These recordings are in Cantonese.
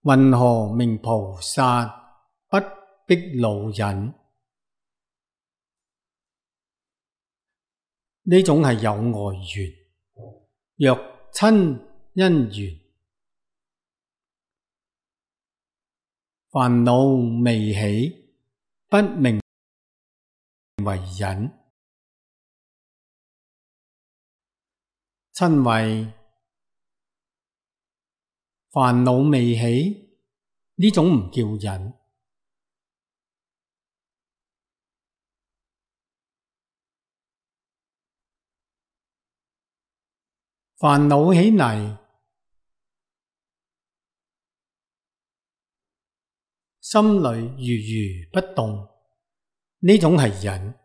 云何名菩薩不逼惱忍？呢種係有外緣。若親因緣，煩惱未起，不名為忍。親為煩惱未起，呢種唔叫忍。煩惱起嚟，心裏如如不動，呢種係忍。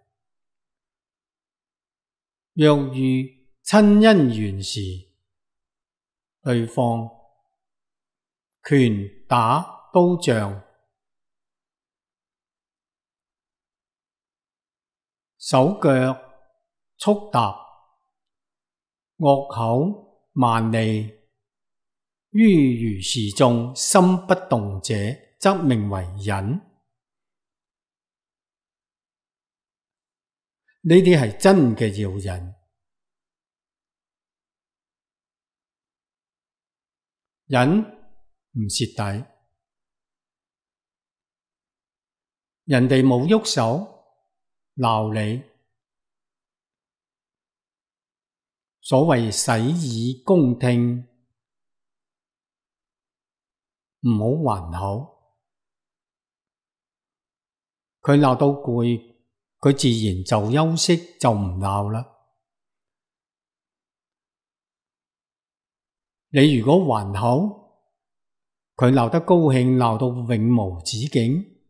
若遇親因緣時，對方拳打刀杖，手腳速踏，惡口蠻利，於如是眾心不動者，則名為忍。呢啲係真嘅要忍。忍唔蝕底，人哋冇喐手鬧你，所謂洗耳恭聽，唔好還口。佢鬧到攰，佢自然就休息，就唔鬧啦。你如果還口，佢鬧得高興，鬧到永無止境，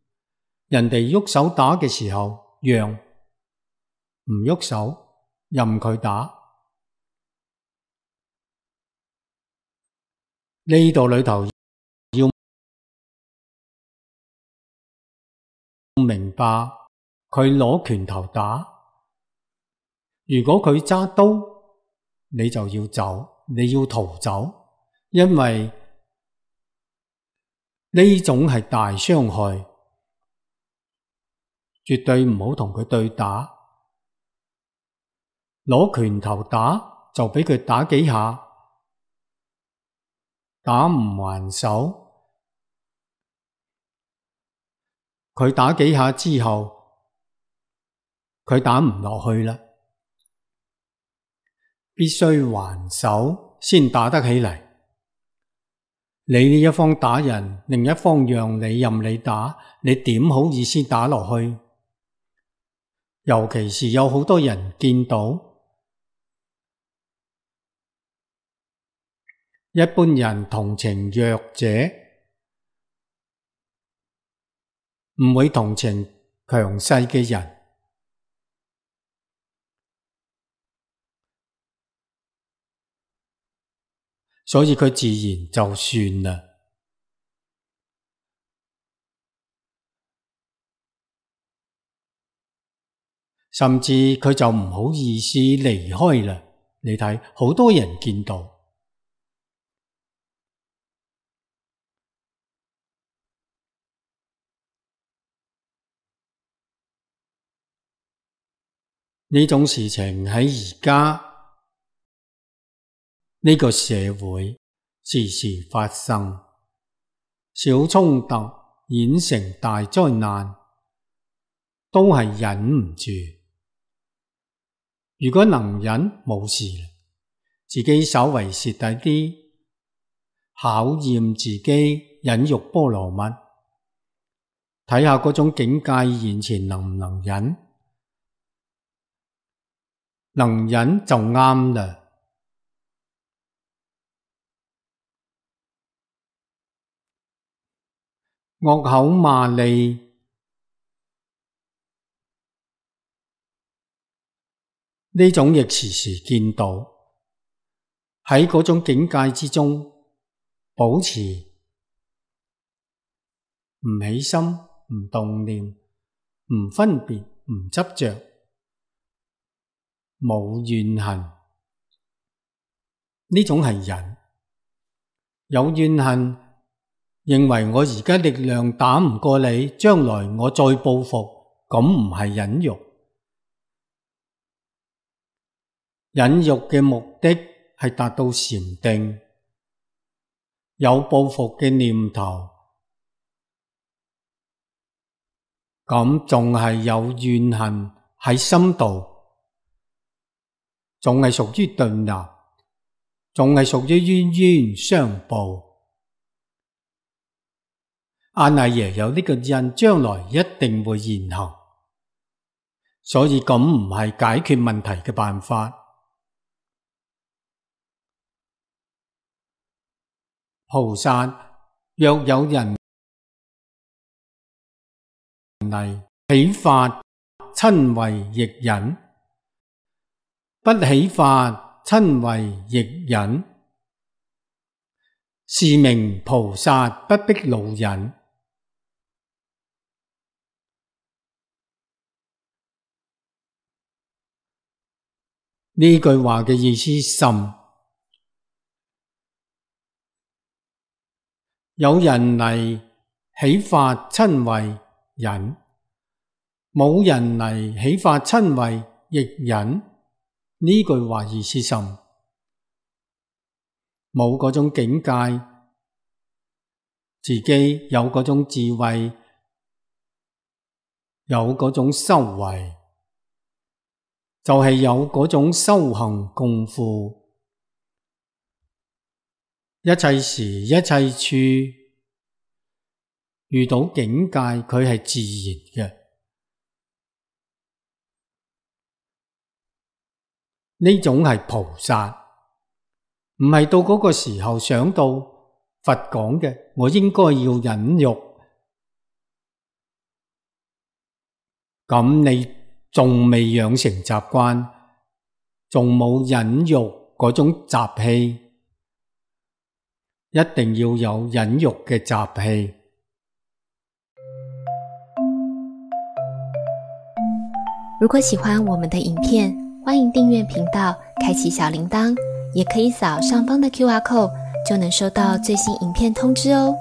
人哋喐手打嘅時候，讓，唔喐手，任佢打。呢度裏頭要明白，佢攞拳頭打，如果佢揸刀，你就要走，你要逃走，因為呢種係大傷害，絕對唔好同佢對打。攞拳頭打就俾佢打幾下，打唔還手，佢打幾下之後，佢打唔落去啦，必須還手先打得起嚟。你呢一方打人，另一方讓你任你打，你點好意思打落去？尤其是有好多人見到一般人同情弱者，唔會同情強勢嘅人，所以佢自然就算啦。甚至佢就唔好意思離開啦。你睇，好多人見到。呢種事情喺而家呢個社會時時發生，小衝突演成大災難，都係忍唔住。如果能忍，冇事啦，自己稍為蝕底啲，考驗自己忍辱波羅蜜，睇下嗰種境界現前能唔能忍。能忍就啱啦。惡口罵詈，呢種亦時時見到。喺嗰種境界之中，保持唔起心、唔動念、唔分別、唔執着，冇怨恨，呢種係忍。有怨恨認為我而家力量打唔過你，將來我再報復，咁唔係忍辱。忍辱嘅目的係達到禪定，有報復嘅念頭，咁仲係有怨恨喺心度，仲係屬於對立，仲係屬於冤冤相報。阿賴耶有呢個印，將來一定會現行，所以咁唔係解決問題嘅辦法。菩薩若有人嚟起法瞋恚亦忍，不起法瞋恚亦忍，是名菩薩不迫惱忍。呢句話嘅意思深，有人嚟起法瞋恚忍，冇人嚟起法瞋恚亦忍。呢句話意思深，冇嗰種境界，自己有嗰種智慧，有嗰種修為，就係有嗰種修行功夫，一切時一切處遇到境界，佢係自然嘅。呢種係菩薩，唔係到嗰個時候想到佛講嘅，我應該要忍辱，咁你仲未養成習慣，仲冇忍辱嗰種習氣，一定要有忍辱嘅習氣。如果喜歡我們的影片，歡迎訂閱頻道，開啟小鈴鐺，也可以掃上方的QR code，就能收到最新影片通知哦。